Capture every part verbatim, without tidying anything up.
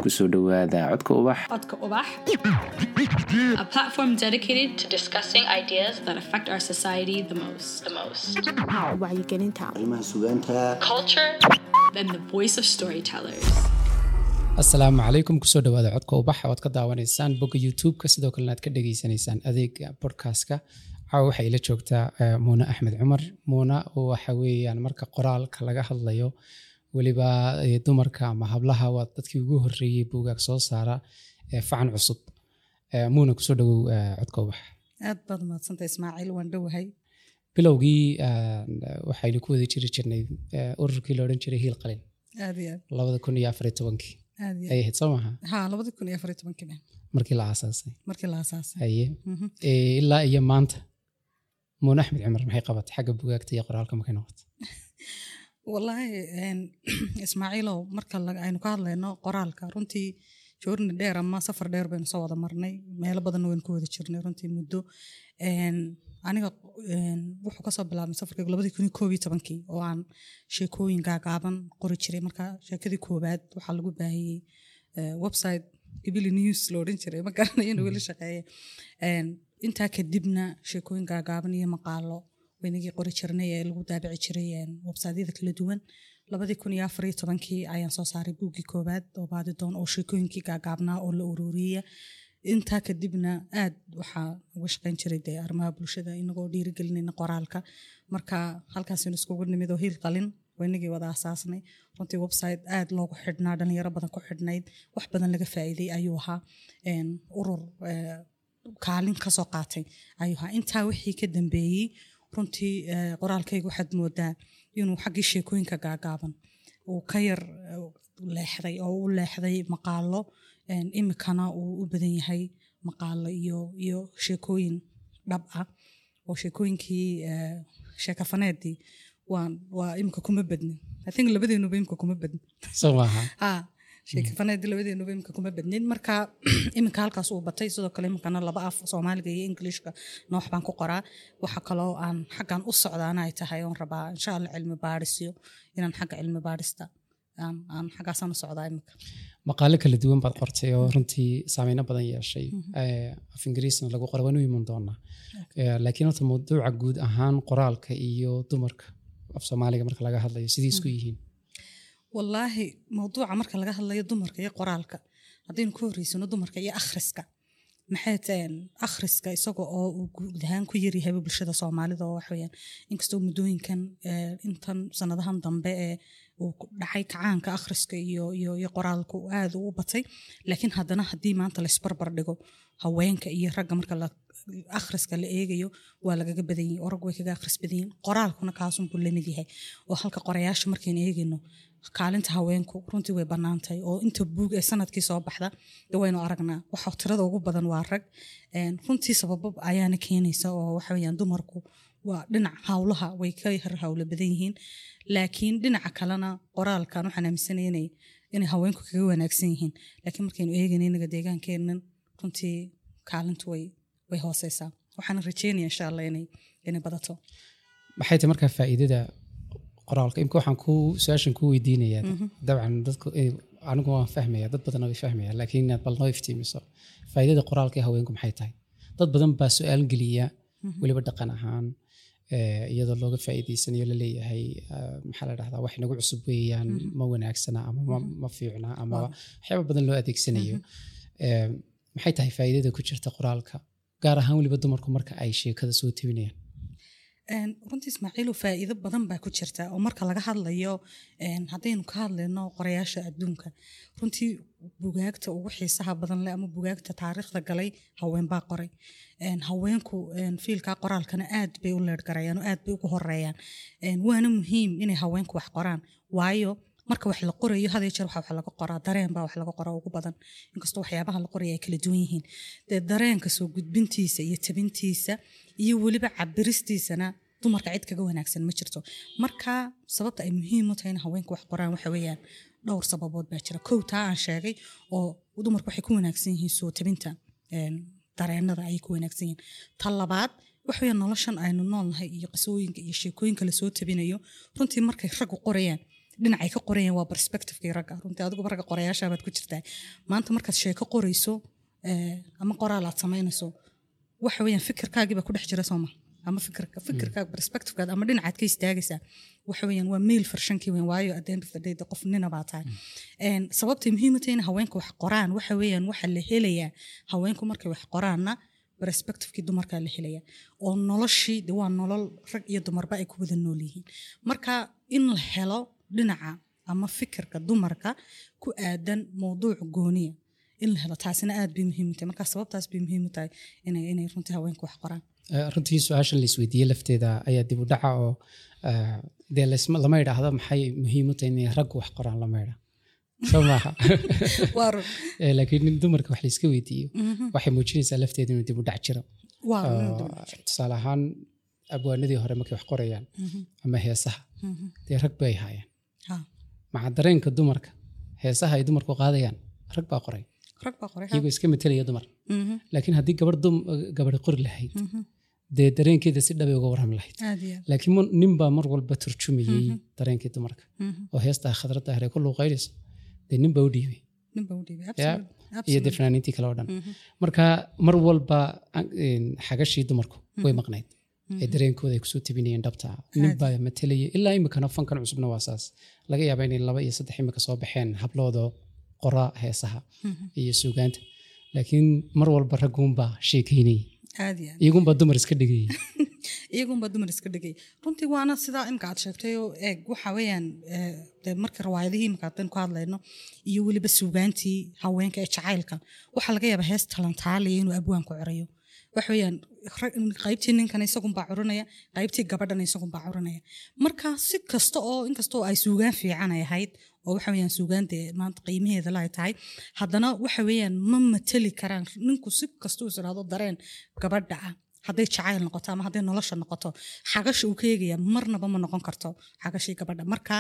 Kusoo dhowaada Codka Ubax. Codka Ubax, a platform dedicated to discussing ideas that affect our society the most. The most. Wacyigelinta. Arrimaha sugaanta. Culture and the voice of storytellers. Asalaamu calaykum. Kusoo dhawaada Codka Ubax oo aad ka daawanaysaan bogga YouTube-ka, sidoo kalena aad ka dhegaysanaysaan adeega podcastka. Caawa waxay ila joogtaa eh, Muuna Axmed Cumar. Muuna waxa weeyaan, marka qoraalka laga hadlayo, weliba eh, dumarka ama hablaha, waa dadkii ugu horreeyey buugaag soo saara eh, facan cusub. Eh, muuna kusoo dhawow eh, Codka Ubax. Aad baad umahadsantay, Ismaaciil, waan dhowahay. Bilowgii eh, waxaynu ku wada jiri jirnay eh, ururkii la odhan jiray Hiil Qalin. Aad iyo aad. Labada kun iyo afar iyo tobankii Aad iyo ay ahayd, soo maaha? Ha, labadi kun iyo afar iyo tobankii ba. Markii la aasaasay. Markii la aasaasay. Haye. Mhm. Eh, ilaa iyo maanta Muune Axmed Cumar maxay qabatay xagga bugaagta iyo qoraalka markay noqotay? Wallaahi een, Ismaaciilow, marka la- aynu ka hadlayno qoraalka, runtii journey dheer ama safar dheer baynu soo wada marnay, meelo badanna waynu ku wada jirnay runtii muddo. Een, aniga een, wuxuu kasoo bilaabmay safarkaygu labadii kun iyo koob iyo tobankii oo aan sheekooyin gaagaaban qori jiray. Marka sheekadii koowaad waxaa lagu baahiyey eh, website Gibili News la odhan jiray, ma garanayo inuu weli shaqeeye. Een, intaa kadibna sheekooyin gaagaaban iyo maqaalo waynagii qori jirnay ee lagu daabici jiray een, websiteyada kala duwan. Labadii kun iyo afar iyo tobankii ayaan soo saaray buuggii koowaad oo Baadidoon, oo sheekooyinkii gaagaabnaa oo la ururiyey. Intaa kadibna aad waxaa uga shaqayn jiray dee arrimaha bulshada, inagoo dhiirigelinayna qoraalka. Marka halkaasaynu iskugu nimid oo Hiil Qalin waynagii wada asaasnay. Runtii website aad loogu xidhnaa, dhalinyaro badan ku xidhnayd, wax badan laga faa'iiday ayuu ahaa. Een, urur eh, kaalin kasoo qaatay ayuu ahaa. Intaa wixii ka dambeeyey, runtii eh, qoraalkayga waxaad moodaa inuu xaggii sheekooyinka gaagaaban uu ka yar eh, leexday oo u leexday maqaalo. een, imikana uu u badan yahay maqaalo iyo iyo sheekooyin dhab ah, oo sheekooyinkii eh, sheekafaneedii waan waa imika kuma badnin. I think labadeenuba imika kuma badnin. Soo maaha? Ha, sheekafaneedii labadeenuba imika kuma badnin. Marka iminka halkaas uu batay. Sidoo kale iminkana laba af, Soomaaliga iyo Englishka, noox baan ku qoraa. Waxa kaloo aan xaggan u socdaana ay tahay oon rabaa, insha Allah, cilmi baadhisyo, inaan xagga cilmi baadhista aan aan xaggaasaan u socdaa iminka. Maqaalo kala duwan baad qortay oo runtii saameyno badan yeeshay. Eh, af Ingiriisna lagu qoray, waan u iman doonaa. Eh, laakiin horta mawduuca guud ahaan, qoraalka iyo dumarka af Soomaaliga marka laga hadlayo, sidii isku yihiin? Wallaahi, mawduuca marka laga hadlayo dumarka iyo qoraalka, haddaynu ku horreysano dumarka iyo akhriska, maxay taheen akhriska isaga oo uu guud ahaan ku yaryahayba bulshada Soomaalida, oo waxaweyaan inkastoo muddooyinkan eh, intan sanadahan dambe ee uu ku dhacay kacaanka akhriska iyo iyo iyo qoraalku uu aad u batay, laakiin haddana haddii maanta laisbarbar dhigo haweenka iyo ragga marka la akhriska la eegayo, waa lagaga badan yahay oo raggu way kaga akhris badan yihiin. Qoraalkuna kaasunbuu lamid yahay, oo halka qorayaasha markaynu eegayno, kaalinta haweenku runtii way bannaantahay, oo inta buug ee sanadkii soo baxda dee waynu aragnaa, waxa tirada ugu badan waa rag. Een, runtii sababo ayaana keenaysa, oo waxa weeyaan dumarku waa dhinac hawlaha way ka yar hawlo badan yihiin, laakiin dhinaca kalena qoraalkan waxaan aaminsanaya inay inay haweenku kaga wanaagsan yihiin. Laakiin markaynu eegayno inaga deegaankeennan, runtii kaalintu way way hooseysaa. Waxaan rajeynaya, insha Allah, inay inay badato. Maxay tahay markaa faa'iidada qoraalka? Imka waxaan ku su-aashan ku weydiinayaa, dabcan dadku eh, anigu waan fahmaya, dad badanna way fahmaya, laakiin inaad bal noo iftiimiso faa'iidada qoraalka ee haweenku maxay tahay. Dad badan baa su-aal geliya, weliba dhaqan ahaan eh, iyadoo looga faa'iidaysanayo laleeyahay eh, maxaa la dhahdaa, wax inagu cusub weeyaan, ma wanaagsana ama ma, ma fiicna ama waxyaaba badan loo adeegsanayo. Eh, maxay tahay faa'iidada ku jirta qoraalka, gaar ahaan weliba dumarku marka ay sheekada soo tebinayaan? Een, runtii Ismaaciilu, faa'iido badan baa ku jirta, oo marka laga hadlayo een, haddaynu ka hadlayno qorayaasha adduunka, runtii bugaagta ugu xiisaha badan leh ama bugaagta taariikhda galay haween baa qoray. Een, haweenku een, field-ka qoraalkana aad bay u leergarayaan oo aad bay ugu horeeyaan. Een, waana muhiim inay haweenku wax qoraan, waayo marka wax la qorayo, had iyo jeer waxa wax laga qoraa dareen baa wax laga qoraa ugu badan, inkastoo waxyaabaha la qoraya ay kala duwan yihiin. Dee dareenka soo gudbintiisa iyo tabintiisa iyo weliba cabiristiisana dumarka cid kaga wanaagsan ma jirto. Marka sababta ay muhiim u tahay in haweenku wax qoraan waxa weeyaan dhowr sababood baa jira. Kow, taa aan sheegay oo dumarku waxay ku wanaagsan yihiin soo tabinta een, dareenada ayay ku wanaagsan yihiin. Ta labaad waxa weeyaan noloshan aynu noolnahay iyo qisooyinka iyo sheekooyinka lasoo tabinayo, runtii markay raggu qorayaan Dhinacay ka qorayeen waa perspectivekii ragga. Runtii adiguba ragga qorayaasha baad ku jirtaa. Maanta markaad sheeko qorayso eh, ama qoraal aad samaynayso, waxa weeyaan fikirkaagii baa ku dhex jira, sooma? Ama fikirka fikirkaaga, perspectivekaada ama dhinacaad ka istaagaysaa waxa weeyaan waa male versionkii weyn, waayo at the end of the day de qof nina baa tahay. Een, sababtay muhiim u tahay in haweenku wax qoraan waxa weeyaan waxa la helayaa haweenku markay wax qoraanna perspectivekii dumarkaa la helaya, oo noloshii de waa nolol rag iyo dumarba ay ku wada nool yihiin. Marka in la helo dhinaca ama fikirka dumarka ku aadan mowduuc gooniya in la helo, taasina aad bay muhiim u tahay. Marka sababtaas bay muhiim u tahay inay inay runtii haweenku wax qoraan. Eh, runtii su-aasha la isweydiiyey lafteeda ayaa dib u dhaca oo eh, dee laisma- lama idhaahdo maxay muhiim u tahay inay raggu wax qoraan, lama idha, soo maaha? Waa run. Eh, laakiin in dumarka wax layska weydiiyo waxay muujinaysaa lafteeda inuu dib u dhac jiro. Waa run inuu Oo, dib u dhac jiro. Tusaale ahaan abwaanadii hore markay wax qorayaan ama heesaha, dee rag bay haayeen. Ha. Maca dareenka dumarka, heesaha ay dumarku qaadayaan rag baa qoray. Rag baa qoray, ha. Iyagoo iska metelaya dumar. Mhm, Laakiin haddii gabadh dum gabadhi qori lahayd, mhm. dee dareenkeeda si dhabay uga warrami lahayd. Aad iyo aad. Laakiin mu- nin baa mar walba turjumayey dareenkii dumarka Mhm. oo heestaa Khadra Daahir ay ku luuqaynayso dee nin baa u dhiibay. Nin baa u dhiibay. Ya, Absolutely, iyo dee absolutely. fanaaniintii kale oo dhan. Marka mar walba an- een, xagashii dumarku way maqnayd ee dareenkooda ay kusoo tabinayeen dhabta ah. Nin baa matelaya. Ilaa imikana fankan cusubna waa saas. Laga yaaba inay laba iyo saddex imika soo baxeen habloodo qora heesaha iyo suugaanta, laakiin mar walba ragguunbaa sheekeynayay. Aad iyo aad. Iyagunbaa dumar iska dhigayay. Iyagunbaa dumar iska dhigay runtii, waana sidaa imka aad sheegtay. Oo eeg, waxa weeyaan eh, dee marka riwaayadihii imka haddaynu ku hadlayno iyo weliba suugaantii haweenka ee jacaylka, waxaa laga yaabaa hees talantaaliya inuu abwaanku curayo. Waxa weeyaan rag- qaybtii ninkana isagunbaa curinaya, qaybtii gabadhana isagunbaa curinaya. Marka si kasta oo inkastoo ay suugaan fiican ay ahayd oo waxa weeyaan suugaan dee maanta qiimaheeda la ay tahay, haddana waxa weeyaan ma mateli karaan. Ninku si kastuu is idhaahdo dareen gabadha ah, hadday jacayl noqoto ama hadday nolosha noqoto, xagasha uu ka eegaya marnaba ma noqon karto xagashii gabadha. Marka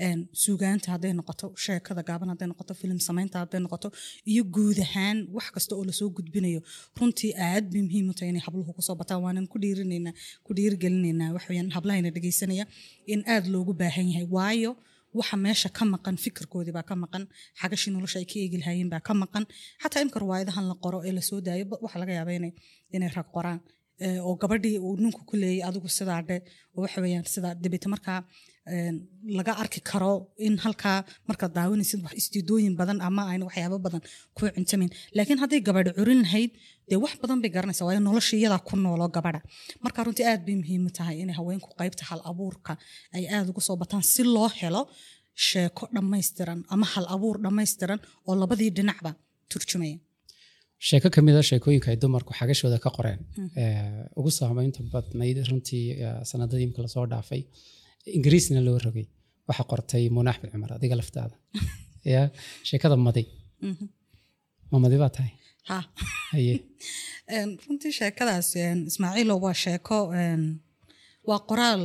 een, suugaanta hadday noqoto, sheekada gaaban hadday noqoto, filim samaynta hadday noqoto iyo guud ahaan wax kasta oo lasoo gudbinayo, runtii aad bay muhiim u tahay inay habluhu kusoo bataan. Waanan ku dhiirinaynaa, ku dhiirigelinaynaa wax weeyaan hablahayna dhegeysanaya in aad loogu baahan yahay, waayo waxa meesha ka maqan fikirkoodii baa ka maqan, xagashii nolosha ay ka eegi lahaayeen baa ka maqan. Xataa imka riwaayadahan la qoro ee lasoo daayo ba- waxaa laga yaabaa inay inay rag qoraan Eh, oo gabadhii uu ninku ku leeyay adigu sidaa dhe, oo waxa weeyaan sidaa dabeete. Markaa een, laga arki karo in halkaa markaad daawanaysid wax istiidooyin badan ama ayna waxyaabo badan ku cuntamin. Laakiin hadday gabadhi curin lahayd, dee wax badan bay garanaysaa, waayo nolosha iyadaa ku nooloo gabadha. Marka runtii aad bay muhiim u tahay inay haweenku qaybta hal abuurka ay aad ugu soo bataan, si loo helo sheeko dhammaystiran ama hal abuur dhammaystiran oo labadii dhinacba turjumaya. Sheeko ka mid a sheekooyinka ay dumarku xagashooda ka qoreen ee, ugu saameynta badnayd runtii ee, sanadadii imika lasoo dhaafay, Ingiriisna loo rogay, waxaa qortay Muuna Axmed Cumar, adiga laftaada ya, sheekada Madi. Ma madi baa tahay? Ha. Haye. Een, runtii sheekadaas een, Ismaaciilo, waa sheeko een, waa qoraal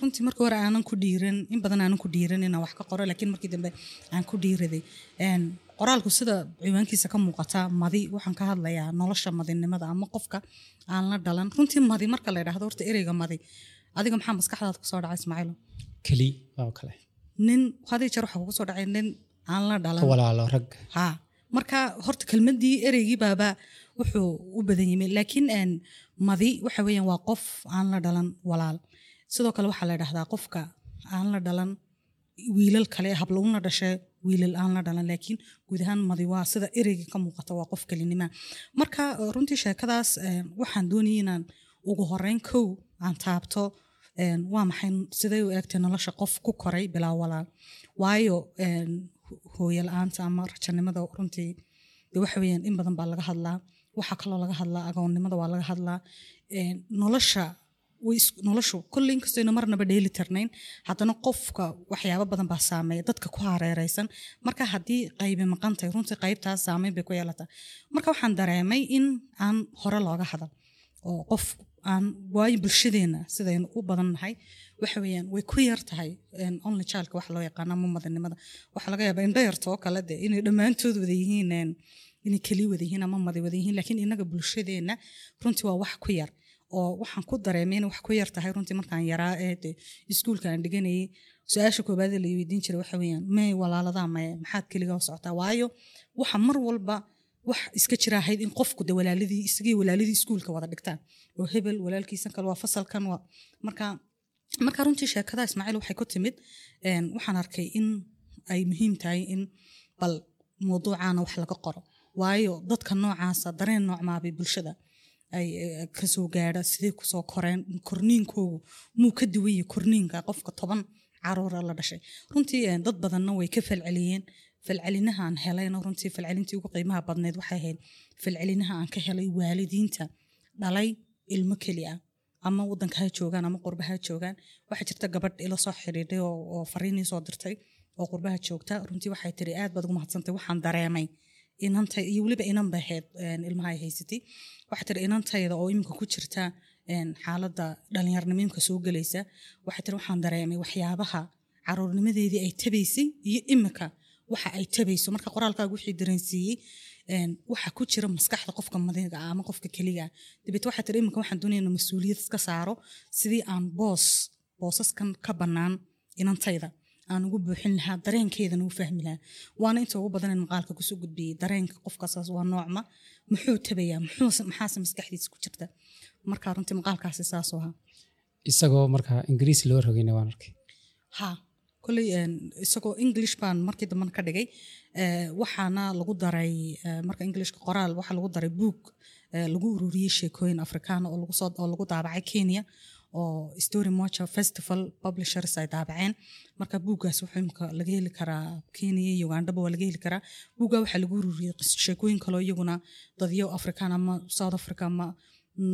runtii markii hore aanan ku dhiiran, in badan aanan ku dhiiran inaan wax ka qoro, laakiin markii dambe aan ku dhiiraday. Een, qoraalku sida ciwaankiisa ka muuqata, Madi, waxaan ka hadlayaa nolosha madinimada ama qofka aan la dhalan. Runtii madi marka la yidhaahdo, horta ereyga madi adiga maxaa maskaxdaada kusoo dhaca, Ismaaciilo? Keli oo kale. Nin hadii jeer waxaa kugu soo dhacay nin aan la dhalan. Ka walaalo rag. Ha, marka horta kelmadii ereygii baaba wuxuu u badan yimi, laakiin een, madi waxa weeyaan waa qof aan la dhalan walaal. Sidoo kale waxaa la dhahdaa qofka aan la dhalan wiilal kale, hablo una dhashay, wiilal aan la dhalan. Laakiin guud ahaan madi waa sida ereyga ka muuqata, waa qof kelinima. Marka eh, runtii sheekadaas eh, waxaan doonayay inaan ugu horeyn kow aan taabto een, waa maxay, siday u eegtay nolosha qof ku koray bilaa walaal, waayo een, hooyo la-aanta ama rajanimada runtii de waxa weeyaan in badan baa laga hadlaa. Waxaa kaloo laga hadlaa agoonnimada, waa laga hadlaa. Een, nolosha way is- noloshu kolley inkastoo ayna marnaba dheeli tirnayn, haddana qofka waxyaabo badan baa saameeya dadka ku hareereysan. Marka haddii qaybi maqan tahay, runtii qaybtaas saameyn bay ku yeelataa. Marka waxaan dareemay in aan hore looga hadal oo qof aan, waayo bulshadeena sidaynu u badan nahay waxa weeyaan way ku yar tahay een, only childka waxa loo yaqaano ama madanimada. Waxaa laga yaabaa indho yarta oo kale de inay dhammaantood wada yihiin een, inay keli wada yihiin ama madi wada yihiin, laakiin inaga bulshadeena runtii waa wax ku yar. Oo waxaan ku dareemay inay wax ku yar tahay runtii markaan yaraa ee de iskuulka aan dhiganayay. Su-aasha koobaad ee la weydiin jiray waxa weeyaan, may walaaladaa, maye maxaad keligaa u socotaa? Waayo waxa mar walba wax iska jira ahayd in qofku de walaaladii, isagii walaaladii iskuulka wada dhigtaan, oo hebel walaalkiisan kale waa fasalkan waa. Marka marka runtii sheekada, Ismaaciil, waxay ku timid, een, waxaan arkay in ay muhiim tahay in bal mawduucaana wax laga qoro, waayo dadka noocaasa dareen noocmaabay bulshada ay eh, kasoo gaadha, sidee kusoo koreen, korniinkoogu muu ka duwan yahay korniinka qofka toban caruura la dhashay? Runtii eh, dad badanna way ka falceliyeen. Falcelinaha aan helayna, runtii falcelintii ugu qiimaha badneyd waxay ahayd falcelinaha aan ka helay waalidiinta dhalay ilmo keli ah, ama wadanka ha joogaan ama qurba ha joogaan. Waxaa jirta gabadh ila soo xidhiidhay oo oo fariin ii soo dirtay oo qurbaha joogta. Runtii waxay tiri, "Aad baad ugu mahadsantay, waxaan dareemay inantay," iyo weliba inan bay ahayd een, ilmaha ay haysatay. Waxay tiri, "Inantayda oo iminka ku jirta een, xaaladda dhalinyaranimo imika soo gelaysa," waxay tiri, "waxaan dareemay waxyaabaha caruurnimadeedii ay tabaysay iyo imika waxa ay tabayso. Marka qoraalkaagu wixii dareensiiyey een, waxa ku jira maskaxda qofka madiga ah ama qofka keliga ah." Dabeet waxay tiri, "Iminka waxaan doonaya inaan mas-uuliyad iska saaro sidii aan boos boosaskan ka bannaan inantayda aan ugu buuxin lahaa, dareenkeedana u fahmi lahaa." Waana inta ugu badan in maqaalka kusoo gudbiyey dareenka qofkaasaas waa noocma, muxuu tabayaa, muxuu maxaase maskaxdiisa ku jirta. Marka runtii maqaalkaasi saasuu ahaa. Isagoo marka Ingiriisi loo rogayna waan arkay. Ha, kolley een, isagoo English baan markii dambena ka dhigay. Eh, waxaana lagu daray eh, marka Englishka qoraal waxaa lagu daray buug eh, lagu ururiyey sheekooyin Afrikaana oo lagu soo oo lagu daabacay Kenya, oo Story Moja Festival Publishers ay daabaceen. Marka buuggaas wuxuu imika laga heli karaa Kenya iyo Ugandaba waa laga heli karaa. Buugga waxaa lagu ururiyey qis- sheekooyin kaloo iyaguna dadyo Afrikaan ama South Africa ama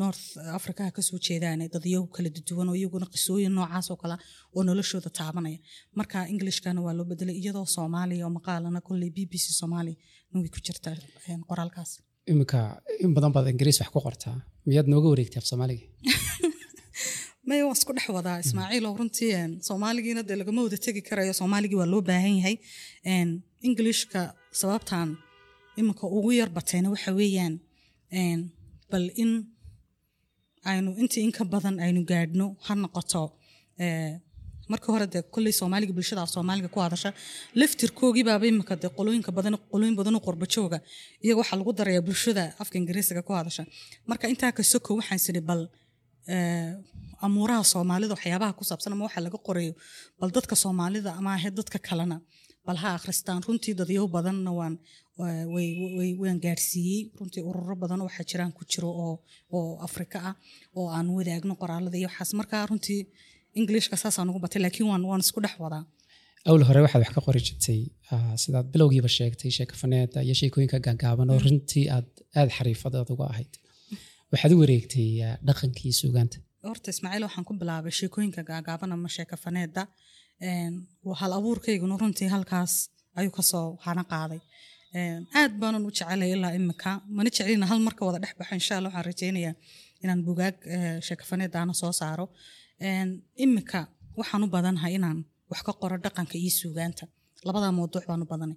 North Africa ha kasoo jeedaan, dadyo kala duwan oo iyaguna qisooyin noocaas oo kale ah oo noloshooda taabanaya. Marka Englishkana waa loo bedelay, iyadoo Soomaaliya oo maqaalana kolley B B C Soomaali way ku jirtaa een, qoraalkaas. Iminka in badan baad Ingiriis wax ku qortaa, miyaad nooga wareegtay af Soomaaliga? Maya, waan isku dhex wadaa, Ismaaciil, oo runtii een, Soomaaligiina dee lagama wada tegi karayo, Soomaaligii waa loo baahan yahay. Een, englishka sababtan iminka ugu yar batayna waxa weeyaan een, bal in aynu intii in ka badan aynu gaadhno ha noqoto. ee, marka hore dee kolley Soomaaliga, bulshada af Soomaaliga ku hadasha laftirkoogii baaba imika dee qolooyinka badan, qolooyin badan oo qurba jooga, iyaga waxaa lagu darayaa bulshada afka Ingiriisiga ku hadasha. Marka intaa ka soko waxaan siri bal ee, amuuraha Soomaalida waxyaabaha ku saabsan ama waxa laga qorayo bal dadka Soomaalida ama ahe dadka kalena bal ha akhristaan. Runtii dadyow badanna waan way way waan gaarsiiyey. Runtii ururo badan waxaa jiraan ku jiro oo oo Afrika ah oo aan wadaagno qoraalada iyo waxaas. Marka runtii Englishka saasaan ugu batay, laakiin waan waan isku dhex wadaa. Awl hore waxaad wax ka qori jirtay, ah, sidaad bilowgiiba sheegtay, sheekafaneeda iyo sheekooyinka gaagaaban oo runtii aad aad xariifadaad uga ahayd. Waxaad u wareegtay ah, dhaqankii suugaanta. Horta, Ismaaciil, waxaan ku bilaabay sheekooyinka gaagaaban ama sheekafaneeda. Een, hal abuurkayguna runtii halkaas ayuu kasoo hana qaaday. Een, aad baanan u jecelay ilaa imika, mana jecelina hal marka wada dhex baxo. Insha Allah waxaan rajeynayaa inaan bugaag eh, sheekafaneedaana soo saaro. Een, imika waxaan u badanahay inaan wax ka qoro dhaqanka iyo suugaanta. Labadaa mawduuc baan u badanay.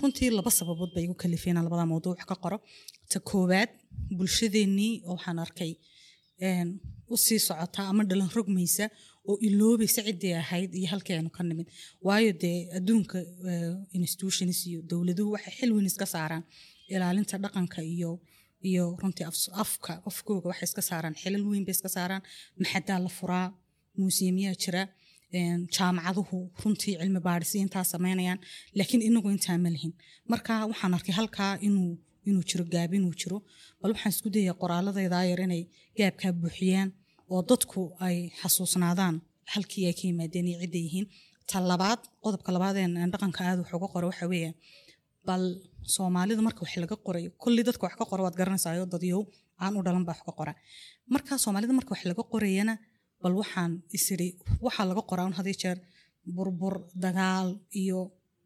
Runtii laba sababood bay igu kalifeen inaan labadaa mawduuc wax ka qoro. Ta koowaad, bulshadeennii oo waxaan arkay een, u sii socota ama dhalan rogmaysa oo iloobaysa ciddii ahayd iyo halkii aynu ka nimid. Waayo dee adduunka eh, institutions iyo dowladuhu waxay xil weyn iska saaraan ilaalinta dhaqanka iyo iyo runtii af- afka afkooga waxay iska saaraan, xilal weyn bay iska saaraan. Maxadaa la furaa, museumyaa jira, een, jaamacaduhu runtii cilmi baadhis intaa sameynayaan, laakiin inagu intaa ma lihin. Marka waxaan arkay halkaa inuu inuu jiro gaab, inuu jiro. Bal waxaan isku dayaa qoraaladayda yar inay gaabkaa buuxiyaan oo dadku ay xasuusnaadaan halkii ay ka yimaadeen iyo cidday yihiin. Ta labaad, qodobka labaad een aan dhaqanka aad wax uga qoro waxa weeye bal Soomaalida marka wax laga qorayo, kulli dadka wax ka qora waad garanaysaa, dadyow aan u dhalan baa wax ka qora. Marka Soomaalida marka wax laga qorayana, bal waxaan isiri waxaa laga qoraa un had iyo jeer burbur, dagaal iyo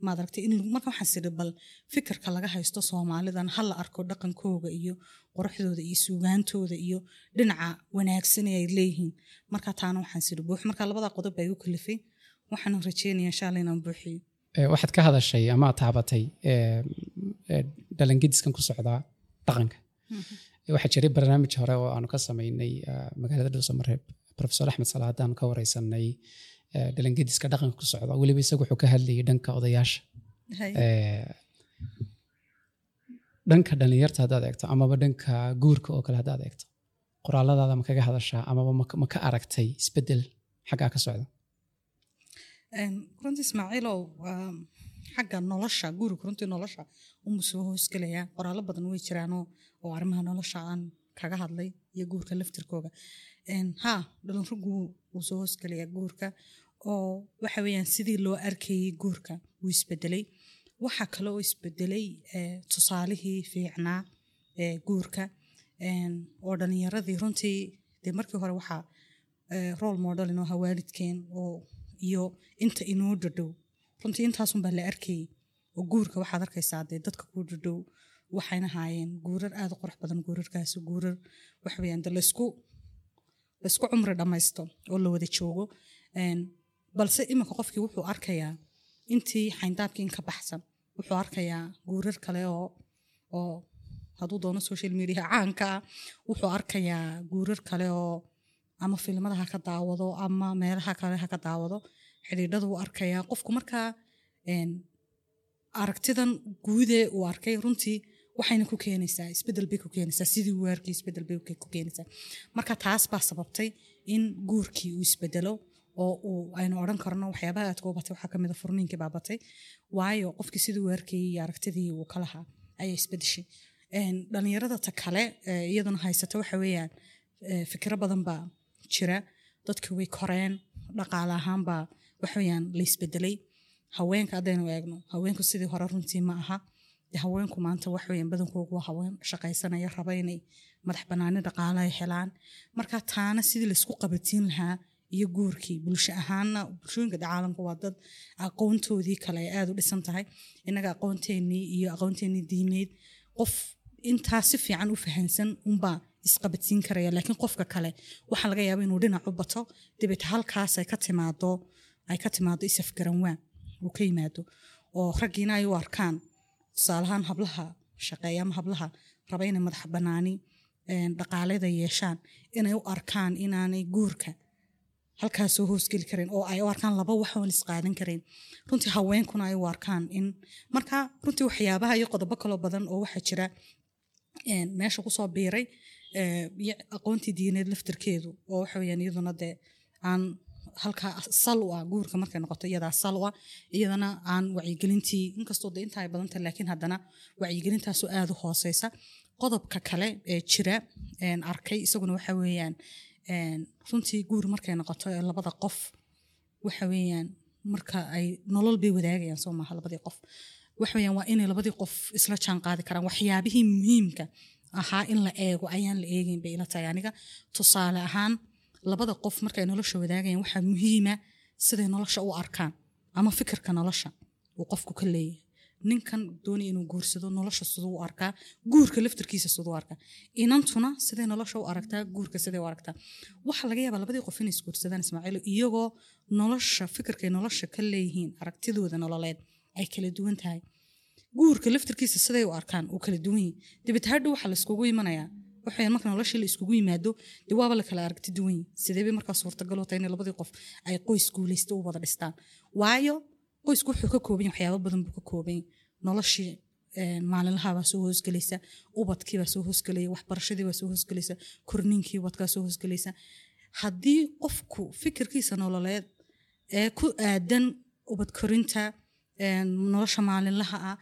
maaragtay in marka waxaan isiri bal fikirka laga haysto Soomaalidan ha la arko, dhaqankooga iyo quruxdooda iyo suugaantooda iyo dhinaca wanaagsan ee ay leeyihiin. Marka taana waxaan isiri buux. Marka labada qodob baa igu kalifay, waxaan rajeynaya insha Allah inaan buuxiyo. Eh, waxaad ka hadashay ama aad taabatay eh, eh, dhalangediskan ku socdaa dhaqanka. Waxaa jiray barnaamij hore oo aanu ka samaynay eh, magaalada Dhuusamareeb, Professor Axmed Salaadaan ka wareysanay. eh, dhalangediska dhaqanka ku socda. Weliba isagu wuxuu ka hadlayay dhanka odayaasha. Hay. Eh, dhanka dhalinyarta haddaad eegto amaba dhanka guurka oo kale haddaad eegto, qoraaladaada ma kaga hadashaa amaba ma ma ka aragtay isbedel xaggaa ka socda? Een, runtii Ismaaciilow, waa xagga nolosha guriga, runtii nolosha unbuu soo hoosgelayaa. Qoraallo badan way jiraanoo oo arrimaha nolosha aan kaga hadlay iyo guurka laftirkooga. Een, haa, dhalinrogu wuu soo hoosgelayaa guurka, oo waxa weeyaan sidii loo arkayay guurka wuu isbedelay. Waxa kale oo isbedelay eh, tusaalihii fiicnaa ee guurka, Een, oo dhalinyaradii runtii dee markii hore waxaa eh, role model inoo ahaa waalidkeen oo iyo inta inoo dhadhow. Runtii intaasun baa la arkayay, oo guurka waxaad arkaysaa dee dadka kuu dhadhow waxayna haayeen guurar aad u qurux badan. Guurarkaasi guurar waxa weeyaan dee laysku laysku cumri dhammaysto oo la wada joogo. Een, balse iminka qofkii wuxuu arkayaa intii xayndaabkii in ka baxsan, wuxuu arkayaa guurar kale oo oo hadduu doono social media caanka ah, wuxuu arkayaa guurar kale oo ama filimada ha ka daawado ama meelaha kale ha ka daawado, xidhiidhada wuu arkayaa qofku. Markaa een, aragtidan guudee uu arkay runtii waxayna ku keenaysaa isbedel bay ku keenaysaa, sidii uu arkay isbedel bay ku keenaysaa. Marka taas baa sababtay in guurkii uu isbedelo, oo uu aynu odhan karno waxyaabaha aadka u batay waxaa kamid a furniinkii baa batay, waayo qofkii sidii uu arkayay iyo aragtidii uu ka lahaa ayaa isbedeshay. Een, dhalinyarada ta kale ee iyaduna haysata waxa weeyaan ee, fikiro badan baa jira. Dadkii way koreen, dhaqaale ahaan baa waxa weeyaan la isbedelay. Haweenka haddaynu eegno, haweenku sidii hore runtii ma aha. Dee haweenku maanta wax weeyaan badankoogu waa haween shaqaysanaya, raba inay madax banaani dhaqaale ay helaan. Marka taana sidii laisku qabatiin lahaa iyo guurkii bulsho ahaana, bulshooyinka dee caalamka waa dad aqoontoodii kale ay aada u dhisan tahay. Innaga aqoonteenii iyo aqoonteenii diimeed, qof intaa si fiican u fahansan unbaa isqabadsiin karaya, laakiin qofka kale waxaa laga yaaba inuu dhinac u bato, dabeet halkaas ay ka timaado ay ka timaado isafgaranwaa uu ka yimaado, oo raggiina ay u arkaan tusaalahaan hablaha shaqeeya ama hablaha raba inay madax banaani een, dhaqaaleda yeeshaan, inay u arkaan inaanay guurka halkaas soo hoosgeli karin, oo ay u arkaan laba wax oon isqaadan karin. Runtii haweenkuna ay u arkaan in marka runtii waxyaabaha iyo qodobo kaloo badan oo waxaa jira een, meesha kusoo biiray ee, iyo aqoontii diineed laftirkeedu, oo waxa weeyaan iyaduna dee aan halkaa sal u ah guurka markay noqoto, iyadaa sal u ah, iyadana aan wacyigelintii, inkastoo dee inta ay badan tahay, laakiin haddana wacyigelintaasoo aada u hooseysa. Qodobka kale ee jira een, arkay isaguna waxa weeyaan een, runtii guur markay noqoto ee labada qof waxa weeyaan marka ay nolol bay wadaagayaan, soo maaha? Labadii qof waxa weeyaan waa inay labadii qof isla jaan qaadi karaan. Waxyaabihii muhiimka ahaa in la eego ayaan la eegeyn bay ila tahay aniga. Tusaale ahaan, labada qof markay nolosha wadaagayaan waxaa muhiima siday nolosha u arkaan ama fikirka nolosha uu qofku ka leeyahay. Ninkan doonaya inuu guursado nolosha siduu u arkaa, guurka laftirkiisa siduu u arkaa, inantuna siday nolosha u aragtaa, guurka siday u aragtaa. Waxaa laga yaabaa labadii qof inay isguursadaan, Ismaaciil, iyagoo nolosha fikirkay nolosha ka leeyihiin, aragtidooda nololeed ay kala duwan tahay, guurka laftirkiisa siday u arkaan uu kala duwan yahay. Dabeet hadhow waxaa laiskugu imanayaa waxay marka noloshii la iskugu yimaado dee waaba la kala aragti duwan yahay. Sidee bay markaa suurtagal u tahay inay labadii qof ay qoys guulaysta u wada dhistaan? Waayo qoysku wuxuu ka kooban yahay waxyaabo badan buu ka kooban yahay. Noloshii een, maalinlaha baa soo hoosgelaysa, ubadkii baa soo hoosgelaya, waxbarashadii baa soo hoosgelaysa, korniinkii ubadkaa soo hoosgelaysa. Haddii qofku fikirkiisa nololeed ee ku aadan ubad korinta, een, nolosha maalinlaha ah,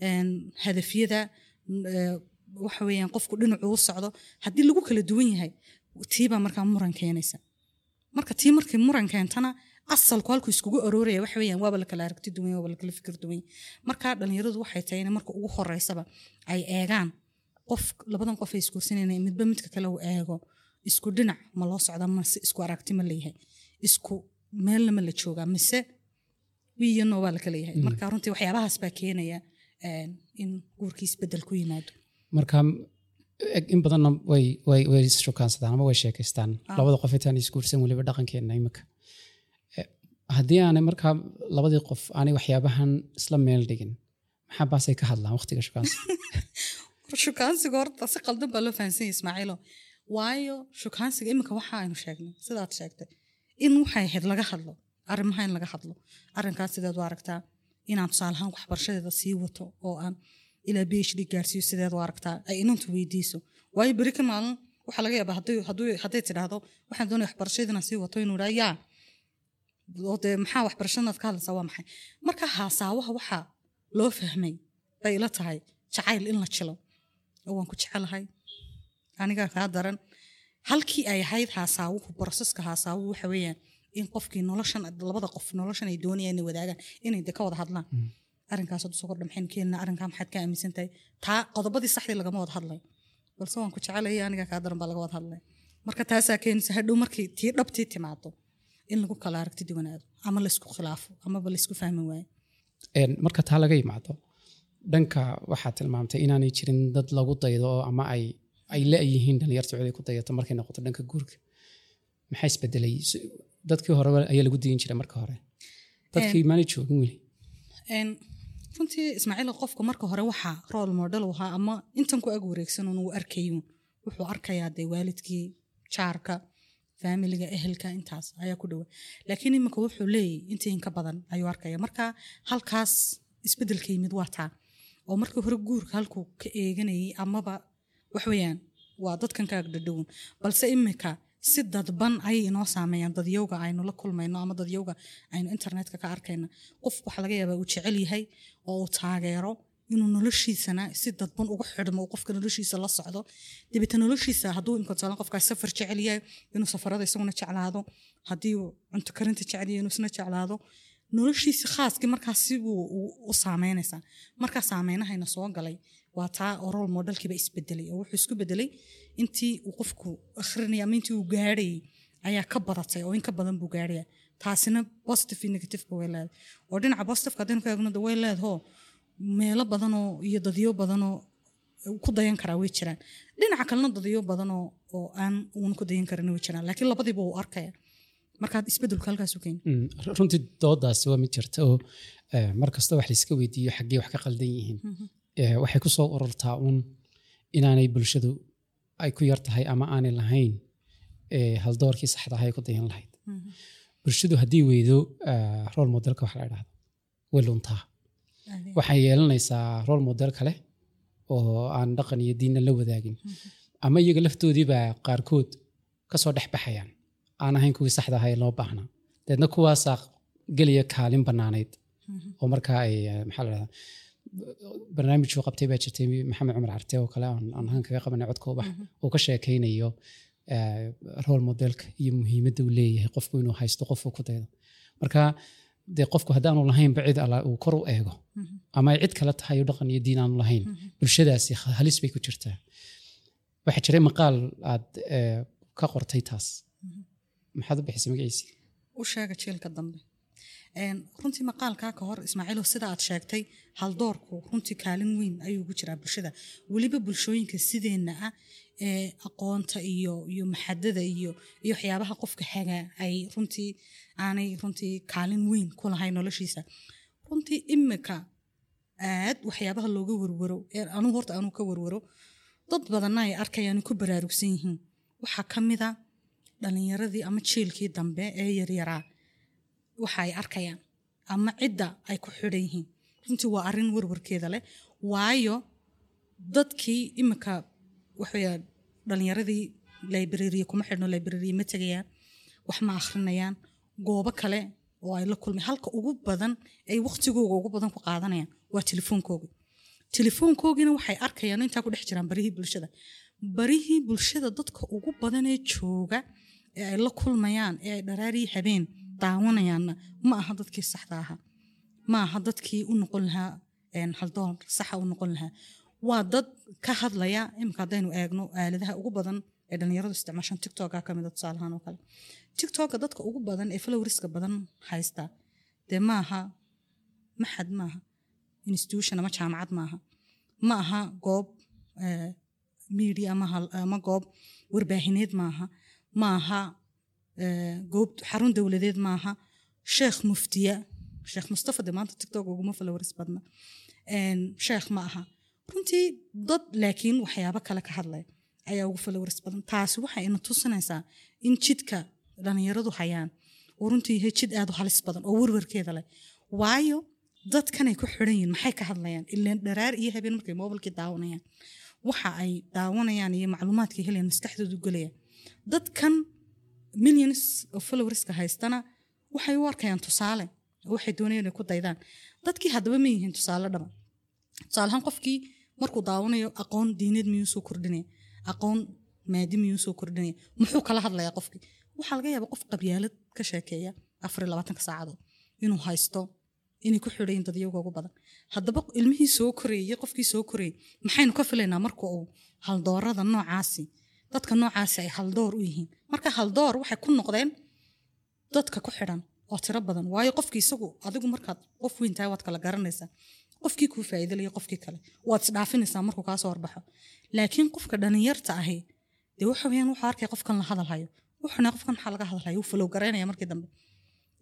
een, hadafyada ee, waxa weeyaan qofku dhinacuu u socdo haddii lagu kala duwan yahay, tiibaa markaa muran keenaysa. Marka tii markay muran keentana, asalku halkuu iskugu arooraya waxa weeyaan waaba la kala aragti duwan yahay, waaba la kala fikir duwan yahay. Marka dhalinyaradu waxay tahay in marka ugu horeysaba ay eegaan qof labadan qof ay isguursanayaan, midba midka kale uu eego isku dhinac ma loo socdaa, mase isku aragti ma leeyahay, isku meelna ma la joogaa, mise wiiyo no waa la kala yahay. Marka runtii waxyaabahaas baa keenaya een, in guurkii isbedel ku yimaado. Marka in badanna way way way ishukaansadaan ama way sheekaystaan Ah. labada qof intaan isguursan, weliba dhaqankeena imika. Eh, haddii aanay markaa labadii qof aanay waxyaabahan isla meel dhigin, maxaa baasay ka hadlaan waqtiga shukaansiga? Shukaansiga horta si qaldan baa loo fahansan yahay, Ismaaciilo, waayo shukaansiga iminka waxa aynu sheegnay, sidaad sheegtay, in waxay ahayd laga hadlo Arrimaha in laga hadlo, arrinkaas sideed u aragtaa? Inaan tusaale ahaan waxbarashadeeda sii wato oo aan ilaa P H D gaarsiiyo, sideed u aragtaa? Ay inantu weydiiso, waayo beri ka maalin waxaa laga yaabaa hadday hadduu hadday tidhaahdo waxaan doonaya waxbarashadeeda inaan sii wato, inuu idhaa yaa oo dee maxaa waxbarashadaad ka hadlaysaa, waa maxay? Marka haasaawaha waxaa loo fahmay bay ila tahay jacayl in la jilo oo waan ku jecelahay, anigaa kaa daran, halkii ay ahayd haasaawuhu. Process-ka haasaawuhu waxa weeyaan in qofkii noloshan, labada qof noloshan ay doonayaan inay wadaagaan, inay de ka wada hadlaan. Arrinkaas hadduu soo kordha, maxaynu keenaa? Arrinkaa maxaad ka aaminsan tahay? Taa qodobadii saxdii lagama wada hadlayo, balse waan ku jecelaya, anigaa kaa daran baa laga wada hadlaya. Marka taasaa keenaysa hadhow markii tii dhabtii timaado in lagu kala aragti duwanaado ama laysku khilaafo amaba laysku fahmi waayo. Een, marka taa laga yimaado, dhanka waxaad tilmaamtay inaanay jirin dad lagu daydo oo ama ay ay la-yihiin dhalinyarta cid ay ku dayato. Markay noqoto dhanka guurka, maxaa isbedelay? S- dadkii hore ayaa lagu dayin jiray marka hore, dadkii maanay joogin weli. Een, runtii Ismaaciil, qofka marka hore waxaa role model u ahaa ama intan ku ag wareegsan uun uu arkayuun, wuxuu arkayaa dee waalidkii, jaarka, faamiliga, ehelka, intaas ayaa ku dhowa. Laakiin iminka wuxuu leeyahy intii in ka badan ayuu arkaya. Marka halkaas isbedelka yimid waa taa oo markii hore guurka halkuu ka eeganayay amaba wax weeyaan waa dadkan ka agdhadhown, balse imika si dadban ayay inoo saameeyaan dadyowga aynu la kulmayno ama dadyowga aynu internetka ka arkayno. Qof waxaa laga yaabaa uu jecel yahay oo uu taageero inuu noloshiisana si dadban ugu xidhmo, uu qofka noloshiisa la socdo. Dabeetna noloshiisa hadduu imika tusaale qofkaas safar jecel yahay, inuu safarada isaguna jeclaado. Haddii uu cunto karinta jecel yahay, inuu isna jeclaado noloshiisa khaaskii. Markaas sibuu u saameynaysaa. Markaa saameynahayna soo galay waa taa oo role modelkiiba isbedelay, oo wuxuu isku bedelay intii uu qofku akhrinaya ama intii uu gaadhayay ayaa ka badatay, oo in ka badan buu gaadhaya. Taasina positive iyo negative ba way leedahay, oo dhinaca positive haddaynu ka eegno de way leedahoo meelo badanoo iyo dadyo badanoo ku dayan karaa way jiraan. Dhinaca kalena dadyo badanoo oo aan uun ku dayan karin way jiraan, laakiin labadiiba wuu arkaya. Markaa isbedelku halkaas u keeni. Mm, runtii doodaasi waa mid jirta oo eh, mar kasta wax layska weydiiyo xaggee wax ka qaldan yihiin, Eh, waxay ku soo ururtaa uun inaanay bulshadu ay ku yar tahay ama aanay lahayn eh, haldoorkii saxda ahaa ay ku dayan lahayd. Bulshadu haddii weydo eh, role modelka wax la idhahdo, way luntaa. Waxay yeelanaysaa role model kale oo aan dhaqan iyo diinna la wadaagin, ama iyaga laftoodiibaa qaarkood kasoo dhex baxayaan aan ahayn kuwii saxda ahaa ee loo baahnaa. Deedna kuwaasaa gelaya kaalin banaaneyd oo markaa ay eh, maxaa la dhahdaa, barnaamijuu qabtay baa jirtay Maxamed Cumar Carte oo kale aan aan ahaan kaga qabanay Codka Ubax, uu ka sheekaynayo eh, role modelka iyo muhiimadda uu leeyahay qofku inuu haysto qofuu ku daydo. Marka dee qofku haddaanu lahaynba cid alla uu kor u eego ama ay cid kale tahay oo dhaqan iyo diin aanu lahayn, bulshadaasi halis bay ku jirtaa. Waxaa jiray maqaal aad eh, ka qortay taas, maxaad u bixisay magaciisii? U sheega jiilka dambe. Een, runtii maqaalkaa ka hor, Ismaaciilo, sida aad sheegtay, haldoorku runtii kaalin weyn ayuu ugu jiraa bulshada, weliba bulshooyinka sideenna ah ee aqoonta iyo iyo maxadada iyo iyo waxyaabaha qofka hagaa ay runtii aanay runtii kaalin weyn ku lahayn noloshiisa. Runtii imika aad waxyaabaha looga warwaro ee anugu horta anuu ka warwaro, dad badanna ay arkayaan, ku baraarugsan yihiin, waxaa ka mid a dhalinyaradii ama jiilkii dambe ee yaryaraa waxa ay arkayaan ama cidda ay ku xidhan yihiin. Runtii waa arrin warwarkeeda leh, waayo dadkii imika waxawaya dhalinyaradii library kuma xidhno, library ma tegayaan, wax ma akhrinayaan. Goobo kale oo ay la kulmay, halka ugu badan ay waqtigooga ugu badan ku qaadanayaan waa telefoonkooga. Telefoonkoogina waxay arkayaan intaa ku dhex jiraan barihii bulshada. Barihii bulshada dadka ugu badan ee jooga ee ay la kulmayaan ee ay dharaariyi habeen daawanayaanna ma aha dadkii saxda ahaa, ma aha dadkii u noqon lahaa een, haldoor saxa u noqon lahaa. Waa dad ka hadlaya. Imika haddaynu eegno aaladaha ugu badan ee dhalinyaradu isticmaashaan, TikToka ka mid a tusaalahaan oo kale. TikToka dadka ugu badan ee followerska badan haysta dee maaha maxad, maaha institution ama jaamacad, maaha ma aha goob eh, media ama hal- ama goob warbaahineed, maaha ma aha eh, goob xarun dowladeed, maaha sheekh muftiya, Sheekh Mustafa de maanta TikTok uguma followers badna. Een, sheekh ma aha runtii dad, laakiin waxyaabo kale ka hadlaya ayaa ugu followers badan. Taasi waxay ina tusinaysaa in jidka dhalinyaradu hayaan Oo runtii yahay jid aad u halis badan oo werwerkeeda leh, waayo dadkanay ku xidhan yihiin maxay ka hadlayaan? Ileen dharaar iyo habeen markay mobilkii daawanayaan, waxa ay daawanayaan iyo macluumaadkay helayaan maskaxdoodu gelaya. Dadkan millions of followerska haystana waxay u arkayaan tusaale oo waxay doonayaan inay ku daydaan. Dadkii haddaba ma yihiin tusaale dhaba. Tusaale ahaan, qofkii markuu daawanayo, aqoon diineed miyuu soo kordhinaya? Aqoon maadi miyuu soo kordhinaya? Muxuu kala hadlayaa qofkii? Waxaa laga yaabaa qof qabyaalad ka sheekeeya afar iyo labaatanka saacadood inuu haysto, inay ku xidhayin dad iyaga ugu badan. Haddaba ilmihii soo korayey, qofkii soo korayey, maxaynu ka filaynaa marka uu haldoorada noocaasi, dadka noocaasi ay haldoor u yihiin? Marka haldoor waxay ku noqdeen dadka ku xidhan oo tiro badan, waayo qofkii isagu, adigu markaad qof weyn tahay waad kala garanaysaa qofkii kuu faa'iidalaya, qofkii kale waad isdhaafinaysaa markuu kaa soo horbaxo. Laakiin qofka dhalinyarta ahi dee waxa weeyaan wuxuu arkaya qofkan la hadalhayo, wuxuuna qofkan maxaa laga hadalhayo, wuu follow garaynaya. Markii dambe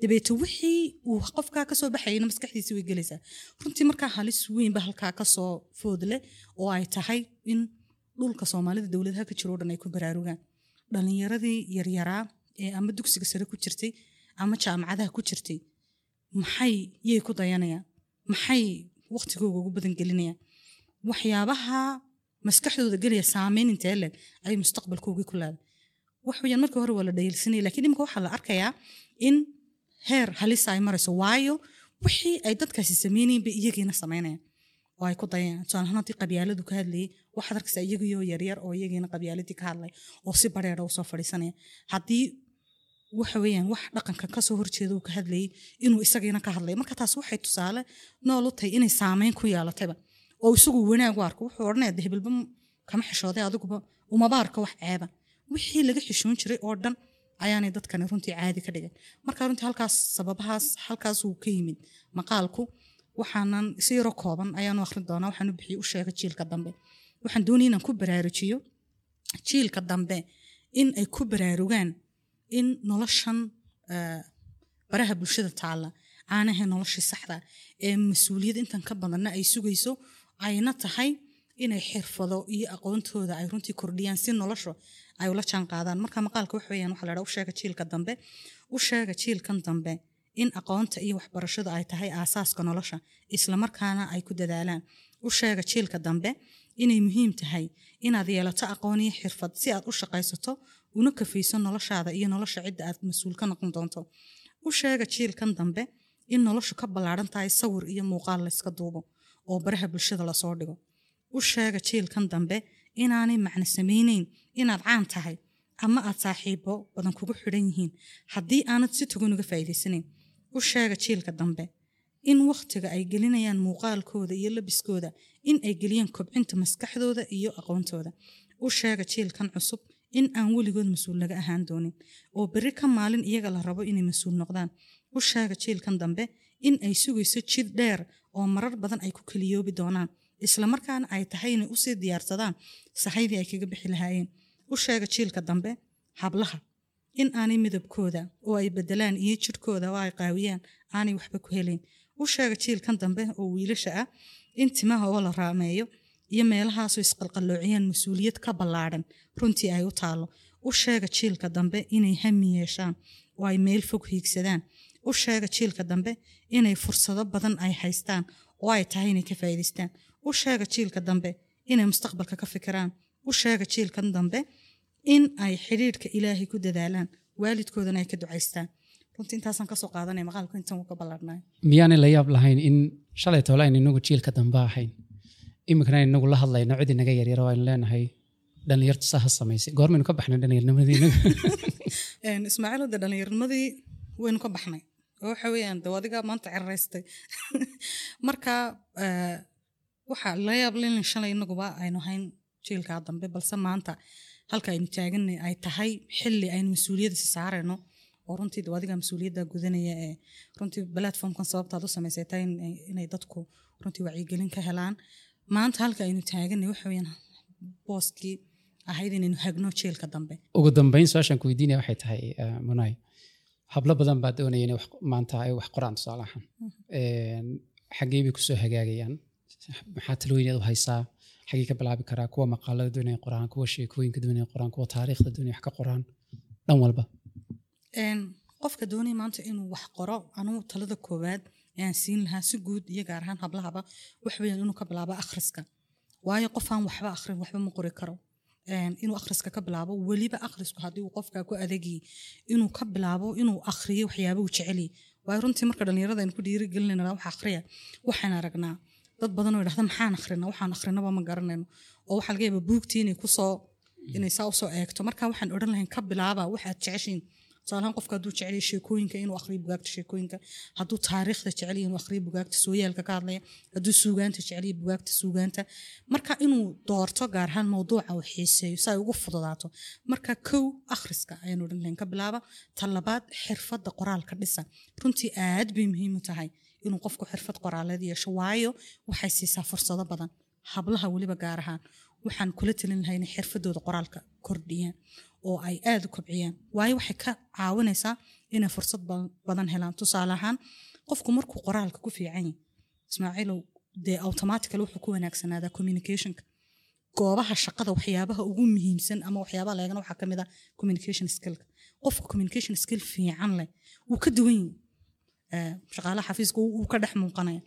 dabeete wixii uu qofkaa kasoo baxayna maskaxdiisi way gelaysaa runtii. Markaa halis weyn ba halkaa kasoo foodle oo ay tahay in dhulka Soomaalida dowladaha ka jiro o dhan ay ku baraarugaan. Dhalinyaradii yaryaraa ee ama dugsiga sare ku jirtay ama jaamacadaha ku jirtay, maxay yay ku dayanayaan? Maxay waqtigooga ugu badan gelinayaan? Waxyaabaha maskaxdooda gelaya saameyn intee leeg ayay mustaqbalkoogii ku leedahay? Wax weeyaan markii hore waa la dhayalsanayay, laakiin imika waxaa la arkayaa in heer halisa ay marayso, waayo wixii ay dadkaasi sameynayeen bay iyagiina samaynayaan oo ay ku dayayaan. Tusaale ahaan, haddii qabyaaladu ka hadlayay, waxaad arkaysaa iyagiyo yaryar oo iyagiina qabyaaladii ka hadlay oo si bareera usoo fadhiisanaya. Haddii waxa weeyaan wax dhaqanka kasoo horjeeda uu ka hadlayay, inuu isagiina ka hadlay. Marka taas waxay tusaale nool u tahay inay saameyn ku yeelatayba oo isagu wanaag u arko. Wuxuu odhanaya de hebelba kama xishooday, adiguba umaba arko wax ceeba. Wixii laga xishoon jiray oo dhan ayaanay dadkani runtii caadi ka dhigan. Marka runtii halkaas sababahaas halkaas uu ka yimid maqaalku. Waxaanan si yaroo kooban ayaanu akhrin doonaa. Waxaan u bixiyey "U sheega jiilka dambe". Waxaan doonaya inaan ku baraarujiyo jiilka dambe in ay ku baraarugaan in noloshan eh, baraha bulshada taalla aanahay noloshii saxda ee mas-uuliyad intan ka badanna ay sugayso, ayna tahay inay xirfado iyo aqoontooda ay runtii kordhiyaan si nolosha ay ula jaan qaadaan. Marka maqaalka wax weeyaan waxaa la dhaha "U sheega jiilka dambe". U sheega jiilkan dambe in aqoonta iyo waxbarashadu ay tahay aasaaska nolosha, islamarkaana ay ku dadaalaan. U sheega jiilka dambe inay muhiim tahay inaad yeelato aqoon iyo xirfad si aad u shaqaysato una kafayso noloshaada iyo nolosha cidda aad mas-uul ka noqon doonto. U sheega jiilkan dambe in noloshu ka ballaaran tahay sawir iyo muuqaal layska duubo oo baraha bulshada lasoo dhigo. U sheega jiilkan dambe inaanay macno samayneyn inaad caan tahay ama aad saaxiibo badan kugu xidhan yihiin haddii aanad si togan uga faa'iidaysanayn. U sheega jiilka dambe in wakhtiga ay gelinayaan muuqaalkooda iyo labiskooda in ay geliyaan kobcinta maskaxdooda iyo aqoontooda. U sheega jiilkan cusub in aan weligood mas-uul laga ahaan doonin oo berri ka maalin iyaga la rabo inay mas-uul noqdaan. U sheega jiilkan dambe in ay sugayso jid dheer oo marar badan ay ku keliyoobi doonaan, islamarkaana ay tahay inay usii diyaarsadaan sahaydii ay kaga bixi lahaayeen. U sheega jiilka dambe hablaha in aanay midabkooda oo ay bedelaan iyo jidhkooda oo ay qaawiyaan aanay waxba ku helayn. U sheega jiilkan dambe oo wiilasha ah in timaha oo la raameeyo iyo meelahaasoo isqalqalloociyaan mas-uuliyad ka ballaadhan runtii ay u taalo. U sheega jiilka dambe inay hami yeeshaan oo ay meel fog hiigsadaan. U sheega jiilka dambe inay fursado badan ay haystaan oo ay tahay inay ka faa'iidaystaan. U sheega jiilka dambe inay mustaqbalka ka fikiraan. U sheega jiilkan dambe in ay xidhiidhka Ilaahay ku dadaalaan, waalidkoodana ay ka ducaystaan. Runtii intaasaan kasoo qaadanaya maqaalku, intan wuu ka ballaadhnay. Miyaanay la yaab lahayn in shalay toole aynu inagu jiilka dambe ahayn, iminkana aynu inagu la hadlayno cid inaga yaryar oo aynu leenahay dhalinyartu saa ha samaysay? Goormaynu ka baxnay dhalinyarnimadii inagu? Een, Ismaaciil, de dhallinyarnimadii waynu ka baxnay oo waxa weeyaan de adiga maanta ceraystay. Marka eh, waxaa la yaab leh in shalay inaguba aynu hayn jiilkaa dambe, balse maanta halka aynu taaganay ay tahay xilli aynu mas-uuliyadda si saarayno oo runtii de adiga mas-uuliyadda gudanaya ee runtii platformkan sababtaad u samaysay tahay in- inay dadku runtii wacyigelin ka helaan. Maanta halka aynu taaganay waxa weeyaan booskii ahayd inaynu hagno jiilka dambe. Ugu dambeyn, su-aashaan ku weydiinaya waxay tahay, eh, Munay, hablo badan baa doonaya inay wax maanta ay wax qoraan tusaale ahaan. Een, xaggee bay kusoo hagaagayaan? Maxaa talooyin aad u haysaa? Xaggee ka bilaabi karaa kuwa maqaalada doonaya qoraan, kuwa sheekooyinka doonaya qoraan, kuwa taariikhda doonaya wax ka qoraan, dhan walba? Een, Qofka doonaya maanta inuu wax qoro, anuu talada koowaad ayaan siin lahaa si guud iyo gaar ahaan hablahaba wax weeyaan inuu ka bilaabo akhriska. Waayo qof aan waxba akhrin waxba ma qori karo. Een, inuu akhriska ka bilaabo, weliba akhrisku haddii uu qofka ku adagyi inuu ka bilaabo inuu akhriyo waxyaaba uu jecel yahay. Waayo runtii marka dhalinyarada aynu ku dhiirigelinayna wax akhriya, waxaan aragnaa dad badan oo yidhahda maxaan akhrinaa, waxaan akhrinaba ma garanayno, oo waxaa laga yaabaa buugtii inay kusoo inay saa usoo eegto. Marka waxaan odhan lahayn ka bilaaba waxaad jeceshiin. Tusaale ahaan qofka hadduu jecel yahay sheekooyinka inuu akhriyo bugaagta sheekooyinka, hadduu taariikhda jecel yahay inuu akhriyo bugaagta sooyaalka ka hadlaya, hadduu suugaanta jecel yahay bugaagta suugaanta. Marka inuu doorto gaar ahaan mowduuca uu xiiseeyo si ay ugu fududaato. Marka kow akhriska ayaan odhan lahayn ka bilaaba. Ta labaad, xirfadda qoraalka dhisa. Runtii aad bay muhiim u tahay inuu qofku xirfad qoraaleed yeesho, waayo waxay siisaa fursado badan. Hablaha weliba gaar ahaan waxaan kula talin lahaa inay xirfadooda qoraalka kordhiyaan oo ay aad u kobciyaan, waayo waxay ka caawinaysaa inay fursad ba- badan helaan. Tusaale ahaan qofku markuu qoraalka ku fiican yahay, Ismaaciilow, dee automatically wuxuu ku wanaagsanaadaa communicationka. Goobaha shaqada waxyaabaha ugu muhiimsan ama waxyaabaha la eegana waxaa kamid ah communication skillka. Qofka communication skill fiican leh wuu ka duwan yahay Eh, shaqaalaha xafiiska, wuu wuu ka dhex muuqanaya.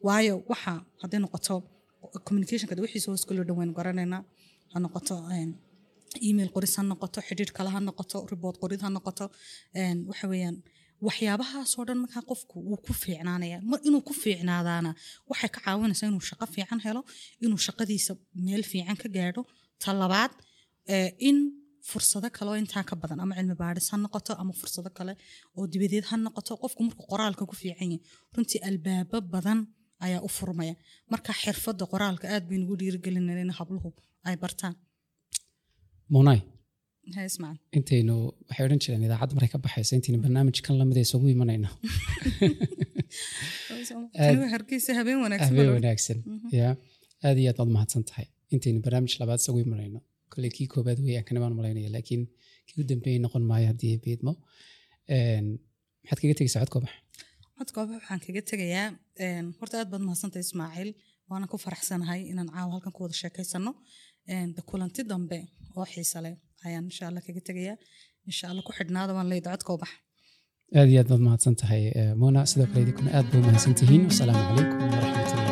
Waayo waxa hadday noqoto communicationka de wixiisa hoos kaloo dhan waynu garanaynaa, ha noqoto een, email qoris, ha noqoto xidhiidh kale, ha noqoto report qorid, ha noqoto een, waxa weeyaan waxyaabahaasoo dhan. Markaa qofku wuu ku fiicnaanaya. Mar inuu ku fiicnaadaana waxay ka caawinaysaa inuu shaqo fiican helo, inuu shaqadiisa meel fiican ka gaadho. Ta labaad, eh, in fursado kale oo intaa ka badan, ama cilmi baadhis ha noqoto ama fursado kale oo dibadeed ha noqoto, qofku markuu qoraalka ku fiican yahay runtii albaabo badan ayaa u furmaya. Marka xirfadda qoraalka aad baynu ugu dhiirigelinayna in habluhu ay bartaan. Munay, Ha, Ismaaciil. intaynu, waxay odhan jireen idaacadda markay ka baxayso, intaynu barnaamijkan lamid isugu imanayno. Tani waa Hargeysa, habeen wanaagsan. Habeen baa. wanaagsan ya. Aad iyo aad baad mahadsan tahay. Intaynu barnaamij labaad isugu imanayno, kolley kii koobaad weeyaan kana baan malaynaya, laakiin kii u dambeeyey noqon maayo haddii ay beedmo. Een, maxaad kaga tegaysaa codka bax? Codka waxaan kaga tegayaa, een, horta aad baad mahadsantahay, Ismaaciil, waana ku faraxsanahay inaan caawa halkan ku wada sheekaysano. Een, de kulanti dambe oo xiise leh ayaan insha Allah kaga tegayaa. Insha Allah ku xidhnaada waan leeyahay codka bax. Aad iyo aad baad mahadsan tahay, eh, Mona. Sidoo kale idinkuna aad baa u mahadsan tihiin. Wasalaamu calaykum waraxmatullahi.